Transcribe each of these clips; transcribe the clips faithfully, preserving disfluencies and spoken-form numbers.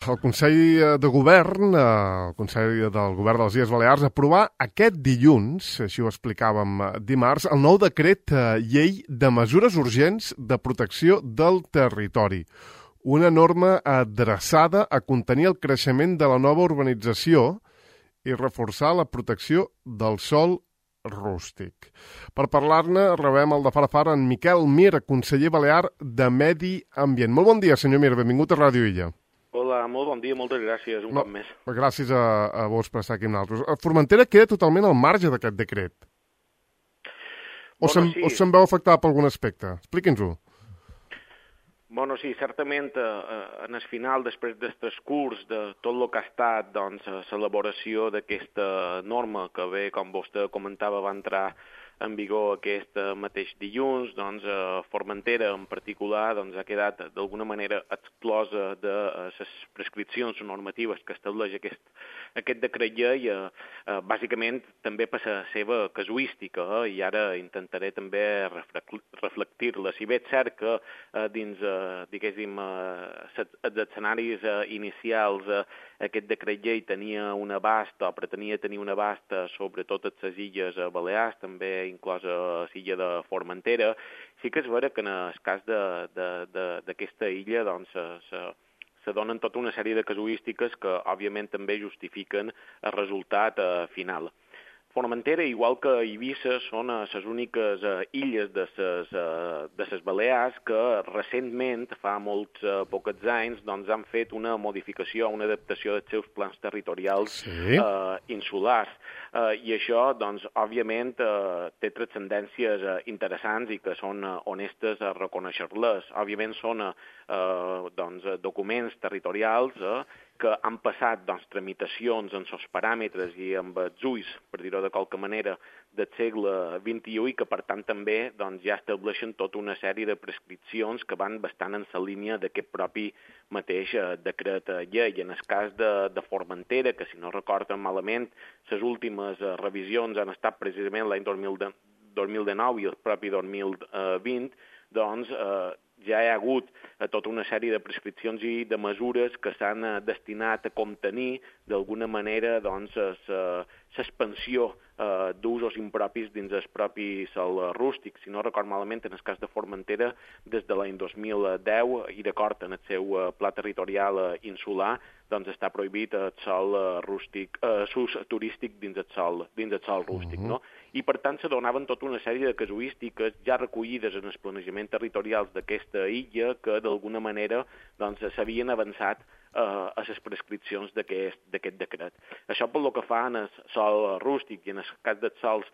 El Consell de Govern, eh, el Consell del Govern de les Illes Balears, aprovà aquest dilluns, així ho explicàvem dimarts, el nou decret eh, llei de mesures urgents de protecció del territori. Una norma adreçada a contenir el creixement de la nova urbanització i reforçar la protecció del sòl rústic. Per parlar-ne, rebem el de far a far en Miquel Mir, conseller balear de Medi Ambient. Molt bon dia, senyor Mir, benvingut a Ràdio Illa. Hola, molt bon dia, moltes gràcies, un no, cop més. Gràcies a, a vos per estar aquí amb nosaltres. Formentera queda totalment al marge d'aquest decret? O bueno, se'n sí. se veu afectada per algun aspecte? Expliqui'ns-ho. Bueno, sí, certament eh, en el final, després del transcurs de tot el que ha estat doncs, l'elaboració d'aquesta norma, que bé, com vostè comentava, va entrar en vigor aquest mateix dilluns, doncs eh, Formentera en particular doncs, ha quedat d'alguna manera exclosa de les prescripcions normatives que estableix aquest, aquest decret llei, eh, eh, bàsicament també per la seva casuística, eh, i ara intentaré també reflectir-la. Si bé és cert que eh, dins, eh, diguéssim, eh, els escenaris eh, inicials eh, aquest decret llei tenia un abast, o pretenia tenir un abast sobre totes les illes balears, també inclosa l'illa de Formentera. Sí que és vera que en el cas d'aquesta illa doncs, se, se donen tota una sèrie de casuístiques que, òbviament, també justifiquen el resultat eh, final. Formentera, igual que Eivissa, són les úniques uh, illes de les uh, Balears que recentment, fa molts uh, pocs anys, doncs, han fet una modificació, una adaptació dels seus plans territorials sí. uh, insulars. Uh, I això, doncs, òbviament, uh, té transcendències uh, interessants i que són uh, honestes a reconèixer-les. Òbviament són uh, doncs, documents territorials uh, que han passat doncs, tramitacions en els paràmetres i amb els ulls, per dir-ho de qualque manera, del segle vint-i-u i que, per tant, també doncs, ja estableixen tota una sèrie de prescripcions que van bastant en la línia d'aquest propi mateix eh, decret llei. En el cas de, de Formentera, que si no recorden malament, les últimes eh, revisions han estat precisament l'any dos mil dinou i el propi dos mil vint, doncs eh, ja hi ha hagut tota una sèrie de prescripcions i de mesures que s'han destinat a contenir d'alguna manera doncs, l'expansió eh, d'usos impropis dins el propi sòl rústic. Si no record malament, en el cas de Formentera, des de l'any dos mil deu, i d'acord en el seu pla territorial insular, doncs està prohibit el sòl rústic, eh, l'ús turístic dins el sòl, dins el sòl rústic, no? I per tant se donaven tota una sèrie de casuístiques ja recollides en els planejaments territorials d'aquesta illa que d'alguna manera doncs, s'havien avançat eh, a les prescripcions d'aquest decret. Això pel que fa en el sòl rústic i en el cas dels sòls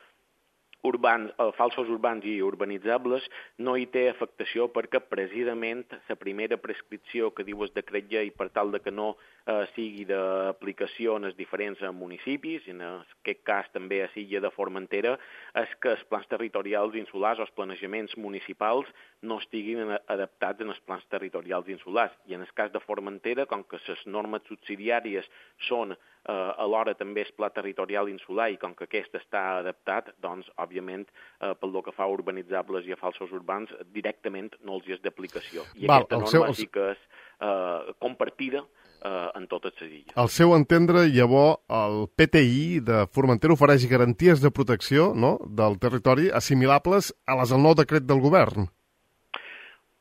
urbans, eh, falsos urbans i urbanitzables no hi té afectació perquè precisament la primera prescripció que diu el decret llei per tal de que no eh, sigui d'aplicació en els diferents municipis, en aquest cas també a l'illa de Formentera, és que els plans territorials insulars o els planejaments municipals no estiguin adaptats en els plans territorials insulars. I en el cas de Formentera, com que les normes subsidiàries són eh, alhora també el pla territorial insular i com que aquest està adaptat, doncs, òbviament, eh, pel que fa a urbanitzables i a falsos urbans, directament no els hi és d'aplicació. I Val, aquesta norma seu, el... sí que és eh, compartida eh, en totes les illes. Al seu entendre, llavors, el P T I de Formentera ofereix garanties de protecció, no?, del territori assimilables a les del nou decret del govern.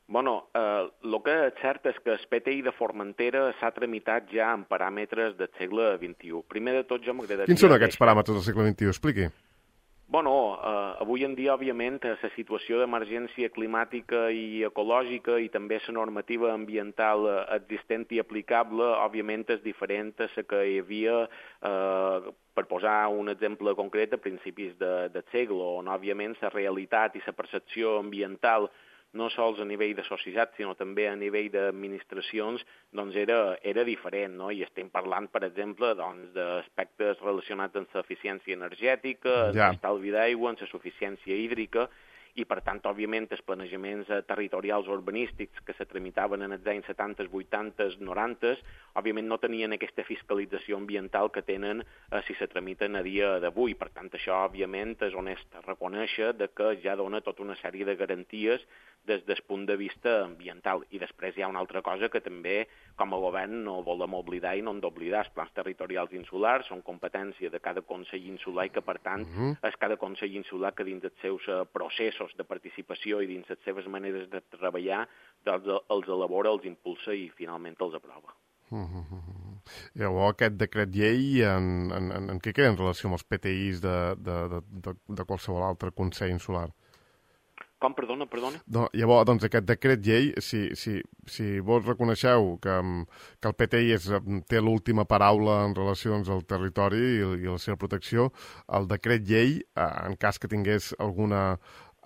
Bueno, el eh, que és cert és que el P T I de Formentera s'ha tramitat ja en paràmetres del segle vint-i-u. Primer de tot, jo m'agradaria... Quins són aquests paràmetres del segle vint-i-u? Expliqui. Bueno, eh, avui en dia, òbviament, la situació d'emergència climàtica i ecològica i també la normativa ambiental existent i aplicable, òbviament, és diferent a la que hi havia, eh, per posar un exemple concret, a principis de, del segle, on, òbviament, la realitat i la percepció ambiental no sols a nivell de societat, sinó també a nivell d'administracions, doncs era, era diferent, no? I estem parlant, per exemple, doncs, d'aspectes relacionats amb l'eficiència energètica, ja. amb l'estalvi d'aigua, amb la suficiència hídrica, i per tant, òbviament, els planejaments territorials urbanístics que se tramitaven en els anys setanta, vuitanta, noranta, òbviament no tenien aquesta fiscalització ambiental que tenen eh, si se tramiten a dia d'avui. Per tant, això, òbviament, és honest reconèixer de que ja dona tota una sèrie de garanties des del punt de vista ambiental. I després hi ha una altra cosa que també, com a govern, no volem oblidar i no hem d'oblidar. Els plans territorials insulars són competència de cada Consell Insular i que, per tant, uh -huh. és cada Consell Insular que dins dels seus processos de participació i dins les seves maneres de treballar doncs els elabora, els impulsa i finalment els aprova. Uh -huh. Llavors, aquest decret llei en, en, en, en què queda en relació amb els P T Is de, de, de, de, de qualsevol altre Consell Insular? Com, perdona, perdona? No, llavors, doncs, aquest decret llei, si, si, si vos reconeixeu que, que el P T I és, té l'última paraula en relació doncs, al territori i, i la seva protecció, el decret llei, eh, en cas que tingués alguna,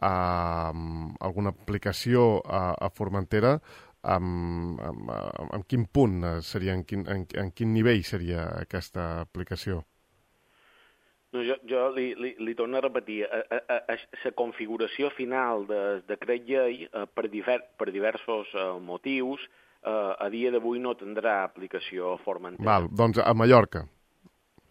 eh, alguna aplicació a, a Formentera, en, en, en quin punt seria, en quin, en, en quin nivell seria aquesta aplicació? No, jo, jo li, li, li torno a repetir, la configuració final del decret llei, eh, per, diver, per diversos eh, motius, eh, a dia d'avui no tindrà aplicació a Formentera. Val, doncs a Mallorca.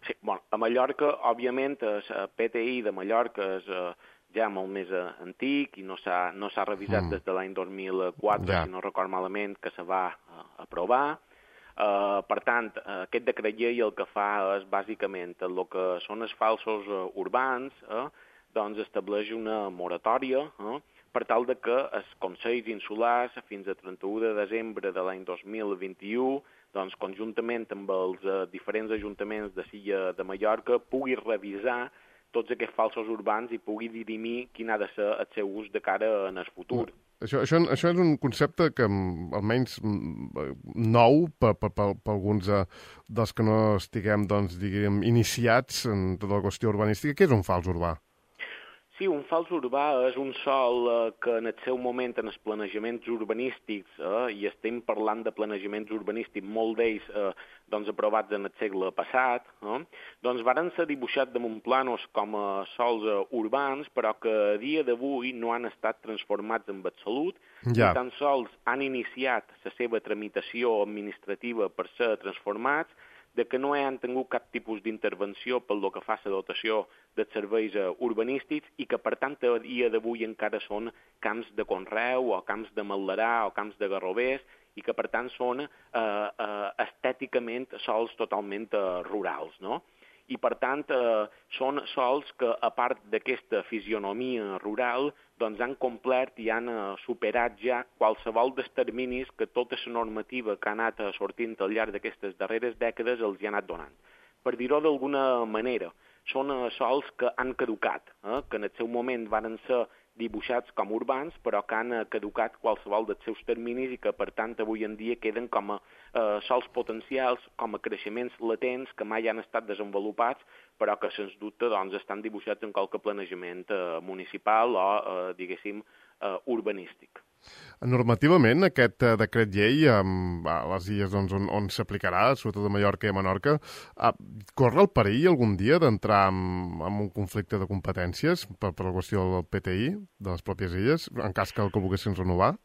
Sí, bueno, a Mallorca, òbviament, el P T I de Mallorca és eh, ja molt més eh, antic i no s'ha no s'ha revisat mm. des de l'any dos mil quatre, ja. Si no record malament, que se va eh, aprovar. Uh, per tant, uh, aquest decret llei el que fa és, bàsicament, el que són els falsos uh, urbans, eh, doncs estableix una moratòria eh, per tal de que els consells insulars, fins a trenta-u de desembre de l'any dos mil vint-i-u, doncs, conjuntament amb els uh, diferents ajuntaments de Silla de Mallorca, pugui revisar tots aquests falsos urbans i pugui dirimir quin ha de ser el seu ús de cara en el futur. Mm. Això, això, això és un concepte que, almenys nou, per, per, per, per alguns eh, dels que no estiguem, doncs, diguem, iniciats en tota la qüestió urbanística. Què és un fals urbà? Sí, un fals urbà és un sòl eh, que en el seu moment en els planejaments urbanístics, eh, i estem parlant de planejaments urbanístics, molt d'ells eh, doncs, aprovats en el segle passat, eh, doncs varen ser dibuixats damunt planos com a sòls eh, urbans, però que a dia d'avui no han estat transformats en absolut, ja. Ni tan sols han iniciat la seva tramitació administrativa per ser transformats, de que no han tingut cap tipus d'intervenció pel que fa a la dotació dels serveis uh, urbanístics i que, per tant, a dia d'avui encara són camps de conreu o camps de maldarà o camps de garrovers i que, per tant, són uh, uh, estèticament sols totalment uh, rurals, no? I, per tant, eh, són sols que, a part d'aquesta fisionomia rural, doncs han complert i han eh, superat ja qualsevol dels terminis que tota la normativa que ha anat sortint al llarg d'aquestes darreres dècades els hi ha anat donant. Per dir-ho d'alguna manera, són eh, sols que han caducat, eh, que en el seu moment van ser dibuixats com urbans, però que han caducat qualsevol dels seus terminis i que, per tant, avui en dia queden com a eh, sols potencials, com a creixements latents que mai han estat desenvolupats, però que, sens dubte, doncs, estan dibuixats en qualque planejament eh, municipal o, eh, diguéssim, eh, urbanístic. Normativament, aquest uh, decret llei um, a les illes doncs, on, on s'aplicarà, sobretot a Mallorca i a Menorca, uh, corre el perill algun dia d'entrar en, en un conflicte de competències per, per la qüestió del P T I, de les pròpies illes, en cas que el que volguessin renovar?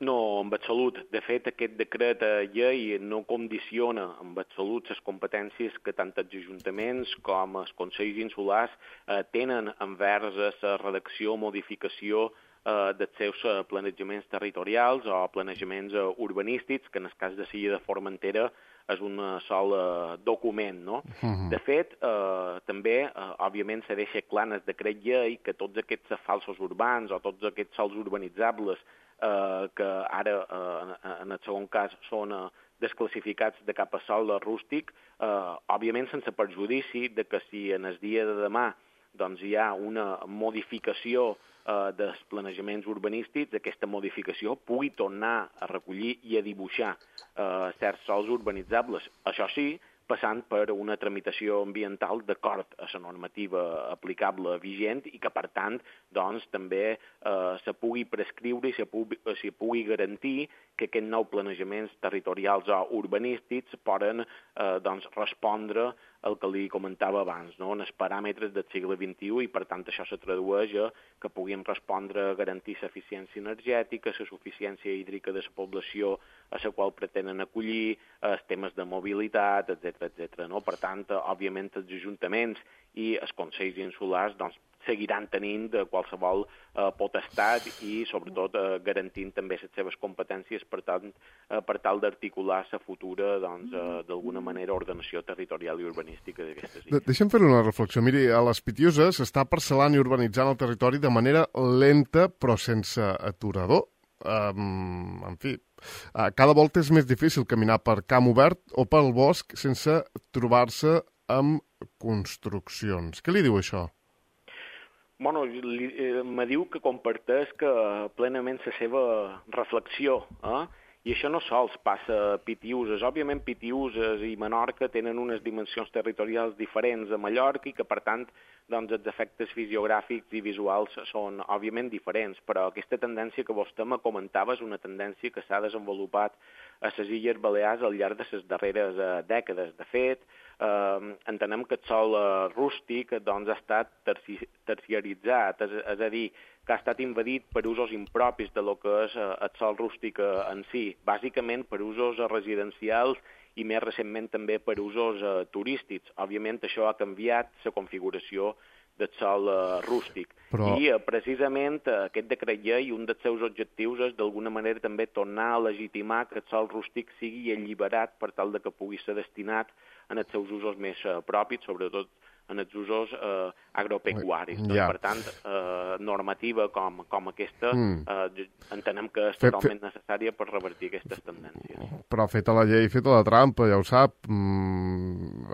No, en absolut. De fet, aquest decret llei no condiciona en absolut les competències que tant els ajuntaments com els consells insulars eh, tenen envers la redacció o modificació eh, dels seus planejaments territorials o planejaments eh, urbanístics, que en el cas de Silla de Formentera és un sol eh, document, no? Uh-huh. De fet, eh, també, eh, òbviament, se deixa clar en el decret llei que tots aquests falsos urbans o tots aquests sols urbanitzables eh, que ara, eh, en el segon cas, són eh, desclassificats de cap a sol rústic, eh, òbviament sense perjudici de que si en el dia de demà doncs, hi ha una modificació eh, dels planejaments urbanístics, aquesta modificació pugui tornar a recollir i a dibuixar eh, certs sols urbanitzables. Això sí, passant per una tramitació ambiental d'acord a la normativa aplicable vigent i que, per tant, doncs, també eh, se pugui prescriure i se pugui, se pugui garantir que aquests nous planejaments territorials o urbanístics poden eh, doncs, respondre el que li comentava abans, no? En els paràmetres del segle vint-i-u, i per tant això se tradueix a que puguin respondre a garantir l'eficiència energètica, la suficiència hídrica de la població a la qual pretenen acollir, els temes de mobilitat, etcètera, etcètera. No? Per tant, òbviament, els ajuntaments i els consells insulars doncs, seguiran tenint de qualsevol eh, potestat i, sobretot, eh, garantint també les seves competències per, tant, eh, per tal d'articular la futura, doncs, eh, d'alguna manera, ordenació territorial i urbanística d'aquestes illes. De Deixa'm fer una reflexió. Miri, a les Pitiuses s'està parcel·lant i urbanitzant el territori de manera lenta però sense aturador. Um, en fi, uh, cada volta és més difícil caminar per camp obert o pel bosc sense trobar-se amb construccions. Què li diu això? Bueno, eh, me diu que comparteix que plenament la seva reflexió, eh? I això no sols passa a Pitiuses. Òbviament, Pitiuses i Menorca tenen unes dimensions territorials diferents a Mallorca i que, per tant, doncs, els efectes fisiogràfics i visuals són, òbviament, diferents. Però aquesta tendència que vostè me comentava és una tendència que s'ha desenvolupat a les Illes Balears al llarg de les darreres eh, dècades. De fet, eh, entenem que el sòl eh, rústic doncs, ha estat terci terciaritzat, és, és a dir, que ha estat invadit per usos impropis de lo que és eh, el sòl rústic eh, en si, bàsicament per usos eh, residencials i més recentment també per usos eh, turístics. Òbviament això ha canviat la configuració del sòl uh, rústic. Però... I uh, precisament uh, aquest decret llei, un dels seus objectius és d'alguna manera també tornar a legitimar que el sòl rústic sigui alliberat per tal de que pugui ser destinat en els seus usos més uh, propis, sobretot en els usos eh, agropecuaris. Ja. Doncs, per tant, eh, normativa com, com aquesta mm. eh, entenem que és fet, totalment fet... necessària per revertir aquestes tendències. Però feta la llei, feta la trampa, ja ho sap. Mm,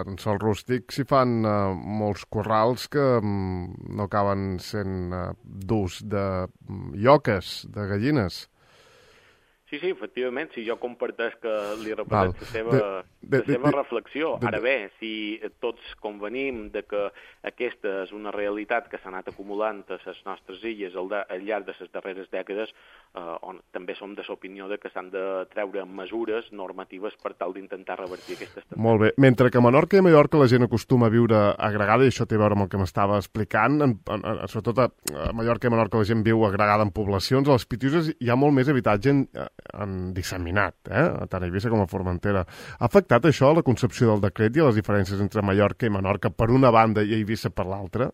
en sol rústic s'hi fan eh, molts corrals que mm, no acaben sent eh, durs de lloques, de gallines. Sí, sí, efectivament, si jo comparteix que li repeteix la seva, de, de, la seva de, reflexió. De, de, Ara bé, si tots convenim de que aquesta és una realitat que s'ha anat acumulant a les nostres illes al, de, al llarg de les darreres dècades, eh, on també som de l'opinió de que s'han de treure mesures normatives per tal d'intentar revertir aquestes tendències. Molt bé. Mentre que a Menorca i a Mallorca la gent acostuma a viure agregada, i això té a veure amb el que m'estava explicant, en, en, en, sobretot a, a Mallorca i a Menorca la gent viu agregada en poblacions, a les Pitiuses hi ha molt més habitatge en, en disseminat, eh? Tant a Eivissa com a Formentera. Ha afectat això a la concepció del decret i a les diferències entre Mallorca i Menorca per una banda i Eivissa per l'altra?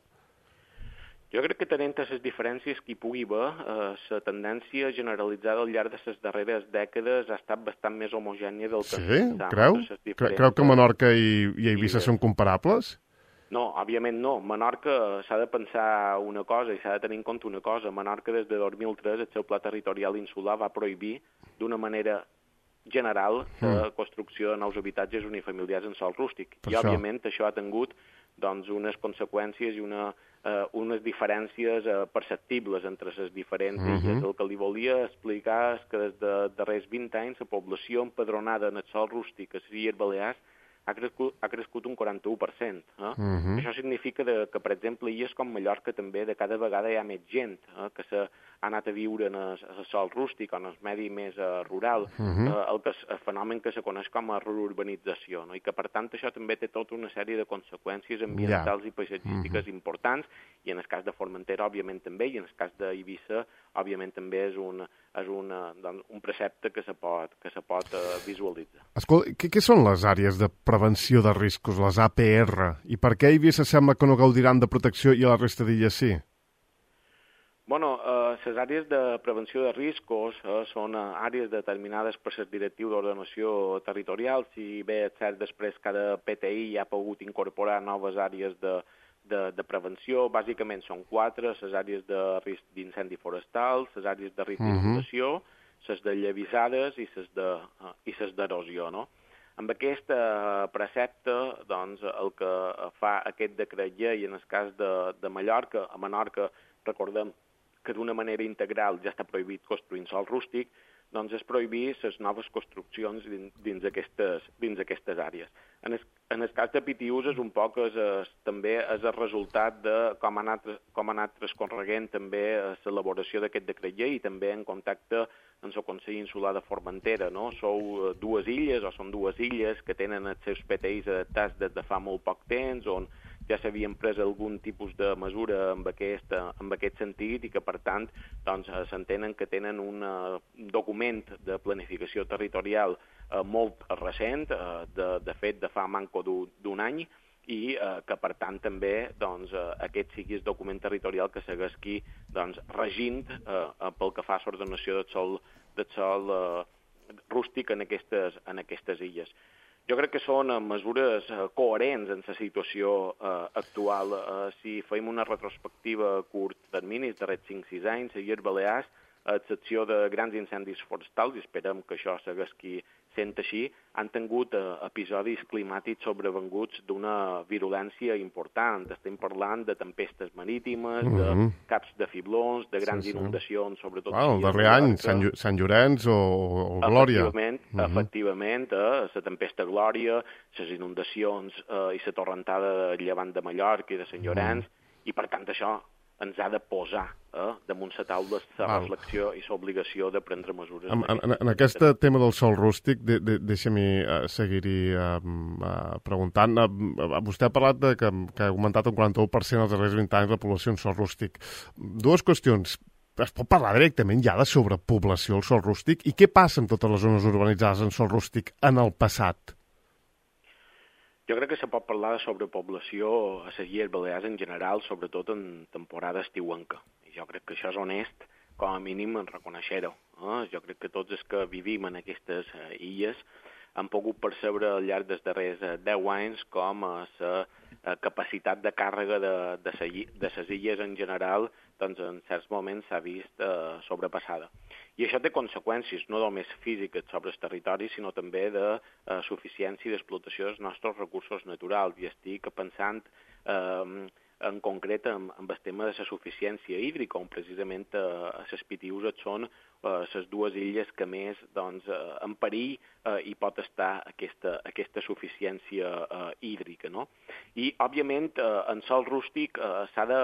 Jo crec que tenint les diferències que hi pugui haver, eh, la tendència generalitzada al llarg de les darreres dècades ha estat bastant més homogènia del que... Sí? Creu? Creu que Menorca i, i Eivissa i... són comparables? No, òbviament no. Menorca s'ha de pensar una cosa i s'ha de tenir en compte una cosa. Menorca des de dos mil tres el seu pla territorial insular va prohibir d'una manera general la mm. construcció de nous habitatges unifamiliars en sòl rústic. Per I, això. òbviament, això ha tingut doncs, unes conseqüències i una, eh, unes diferències eh, perceptibles entre les diferents mm -hmm. illes. El que li volia explicar és que des de darrers vint anys la població empadronada en el sòl rústic a les Illes Balears ha crescut, ha crescut un quaranta-u per cent. Eh? Uh-huh. Això significa de, que, per exemple, illes com Mallorca també de cada vegada hi ha més gent eh, que s'ha anat a viure en el, el sòl rústic o en el medi més uh, rural, uh-huh. eh, el, que, el fenomen que se coneix com a reurbanització, no? I que, per tant, això també té tota una sèrie de conseqüències ambientals yeah. i paisatgístiques uh-huh. importants, i en el cas de Formentera, òbviament, també, i en el cas d'Eivissa, òbviament, també és un, és una, doncs, un precepte que se pot, que se pot uh, visualitzar. Escolta, què, què són les àrees de prevenció de riscos, les A P R, i per què a Eivissa sembla que no gaudiran de protecció i a la resta d'illes sí? Bueno, eh, les àrees de prevenció de riscos eh, són eh, àrees determinades per les directius d'ordenació territorial. Si bé és cert, després cada P T I ha pogut incorporar noves àrees de, de, de prevenció. Bàsicament són quatre: les àrees de risc d'incendi forestal, les àrees de risc d'inundació, uh -huh. les de llevisades i les de, uh, i les d'erosió, no? Amb aquest uh, precepte, doncs, el que fa aquest decret llei en el cas de, de Mallorca, a Menorca, recordem que d'una manera integral ja està prohibit construir en sòl rústic, doncs és prohibir les noves construccions dins, dins, aquestes, dins aquestes àrees. En el, en el cas de Pitiús és un poc és, és, també és el resultat de com ha anat, com ha anat transcorreguent també l'elaboració d'aquest decret llei i també en contacte amb el Consell Insular de Formentera. No? Sou dues illes, o són dues illes que tenen els seus P T Is adaptats des de fa molt poc temps, on ja s'havien pres algun tipus de mesura en aquest, en aquest sentit i que, per tant, doncs, s'entenen que tenen un uh, document de planificació territorial uh, molt recent, uh, de, de fet, de fa manco d'un any, i eh, que, per tant, també doncs, eh, aquest sigui el document territorial que segueixi doncs, regint eh, pel que fa a l'ordenació del sol, del sol eh, rústic en aquestes, en aquestes illes. Jo crec que són mesures coherents en la situació eh, actual. Eh, si fem una retrospectiva a curt termini, els darrers cinc sis anys, a Illes Balears, a excepció de grans incendis forestals, i esperem que això segueixi sent així, han tingut eh, episodis climàtics sobrevenguts d'una virulència important. Estem parlant de tempestes marítimes, mm -hmm. de caps de fiblons, de grans sí, sí. inundacions, sobretot... Wow, el darrer any, Sant, Llo Sant Llorenç o, o Glòria. Efectivament, mm -hmm. efectivament eh, la tempesta Glòria, les inundacions eh, i la torrentada de llevant de Mallorca i de Sant Llorenç, mm -hmm. i per tant això ens ha de posar eh, damunt la taula la reflexió i l'obligació de prendre mesures. En, en, en aquest tema del sòl rústic, de, de, deixa-m'hi uh, seguir-hi uh, uh, preguntant. Uh, vostè ha parlat de que, que ha augmentat un quaranta-u per cent els darrers vint anys la població en sòl rústic. Dues qüestions. Es pot parlar directament ja de sobrepoblació al sòl rústic? I què passa amb totes les zones urbanitzades en sòl rústic en el passat? Jo crec que se pot parlar de sobrepoblació a les Illes Balears en general, sobretot en temporada estiuenca. I jo crec que això és honest, com a mínim, en reconèixer-ho. Eh? Jo crec que tots els que vivim en aquestes eh, illes han pogut percebre al llarg dels darrers eh, deu anys com la eh, capacitat de càrrega de, de, de les illes en general doncs en certs moments s'ha vist eh, sobrepassada. I això té conseqüències no només físiques sobre el territori, sinó també de eh, suficiència i d'explotació dels nostres recursos naturals. I estic pensant eh, en concret en, en el tema de la suficiència hídrica, on precisament eh, les Pitiüses són les eh, dues illes que més doncs, eh, en perill eh, hi pot estar aquesta, aquesta suficiència eh, hídrica. No? I, òbviament, eh, en sòl rústic eh, s'ha de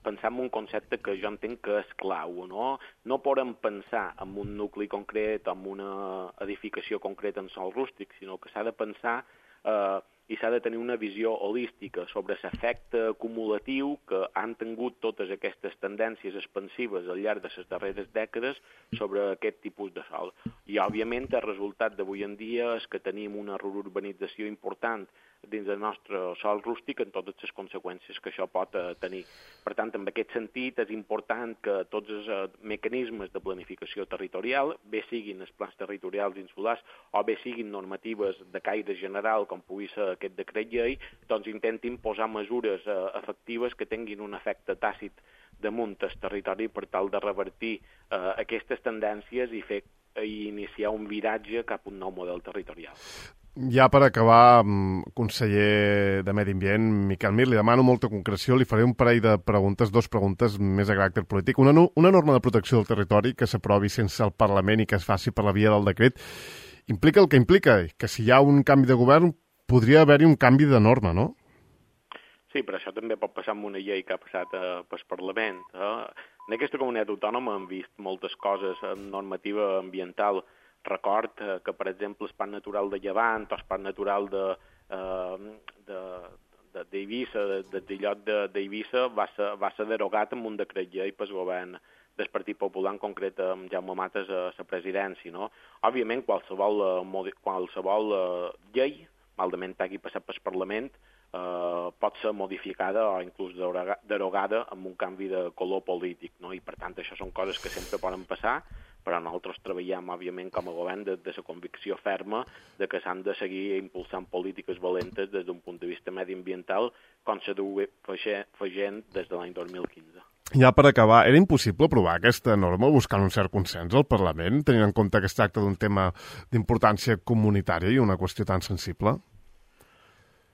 pensar en un concepte que jo entenc que és clau. No, no podem pensar en un nucli concret, en una edificació concreta en sòl rústic, sinó que s'ha de pensar eh, i s'ha de tenir una visió holística sobre l'efecte acumulatiu que han tingut totes aquestes tendències expansives al llarg de les darreres dècades sobre aquest tipus de sòl. I, òbviament, el resultat d'avui en dia és que tenim una reurbanització important dins del nostre sòl rústic en totes les conseqüències que això pot eh, tenir. Per tant, en aquest sentit, és important que tots els eh, mecanismes de planificació territorial, bé siguin els plans territorials insulars o bé siguin normatives de caire general, com pugui ser aquest decret llei, doncs intentin posar mesures eh, efectives que tinguin un efecte tàcit damunt el territori per tal de revertir eh, aquestes tendències i fer i iniciar un viratge cap a un nou model territorial. Ja per acabar, conseller de Medi Ambient, Miquel Mir, li demano molta concreció, li faré un parell de preguntes, dos preguntes més de caràcter polític. Una, una norma de protecció del territori que s'aprovi sense el Parlament i que es faci per la via del decret implica el que implica, que si hi ha un canvi de govern podria haver-hi un canvi de norma, no? Sí, però això també pot passar amb una llei que ha passat eh, pel Parlament. Eh? En aquesta comunitat autònoma hem vist moltes coses en normativa ambiental. Record eh, que, per exemple, el Parc Natural de Llevant o el Parc Natural de, eh, de, de, d'Eivissa, de, de, d'illot d'Eivissa, va ser, va ser derogat amb un decret llei pel govern del Partit Popular, en concret amb Jaume Matas a la presidència. No? Òbviament, qualsevol, qualsevol eh, llei, malament hagi passat pel Parlament, eh, pot ser modificada o inclús derogada amb un canvi de color polític. No? I, per tant, això són coses que sempre poden passar, però nosaltres treballem, òbviament, com a govern de, de la convicció ferma de que s'han de seguir impulsant polítiques valentes des d'un punt de vista mediambiental, com s'ha de fer gent des de l'any dos mil quinze. Ja per acabar, era impossible aprovar aquesta norma buscant un cert consens al Parlament, tenint en compte que es tracta d'un tema d'importància comunitària i una qüestió tan sensible?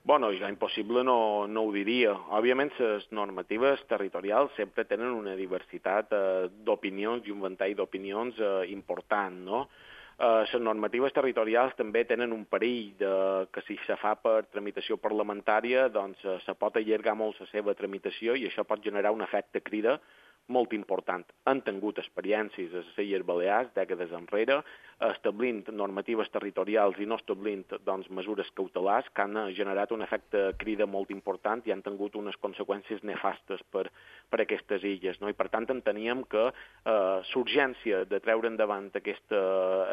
Bueno, jo impossible no, no ho diria. Òbviament, les normatives territorials sempre tenen una diversitat eh, d'opinions i un ventall d'opinions eh, important, no? Eh, les normatives territorials també tenen un perill de, que si se fa per tramitació parlamentària, doncs eh, se pot allargar molt la seva tramitació i això pot generar un efecte crida molt important. Han tingut experiències a les Illes Balears, dècades enrere, establint normatives territorials i no establint doncs, mesures cautelars que han generat un efecte crida molt important i han tingut unes conseqüències nefastes per, per aquestes illes. No? I per tant enteníem que eh, l'urgència de treure endavant aquesta,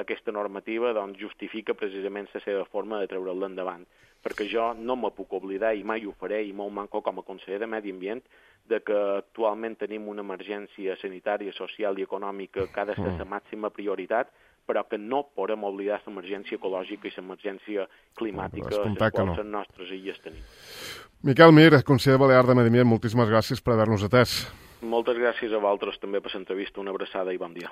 aquesta normativa doncs, justifica precisament la seva forma de treure-la endavant. Perquè jo no me puc oblidar, i mai ho faré, i molt manco com a conseller de Medi Ambient, de que actualment tenim una emergència sanitària, social i econòmica que ha de ser la màxima prioritat, però que no podem oblidar l'emergència ecològica i l'emergència climàtica que les no. nostres illes tenim. Miquel Mir, conseller balear de Medi Ambient, moltíssimes gràcies per haver-nos atès. Moltes gràcies a vosaltres també per l'entrevista, una abraçada i bon dia.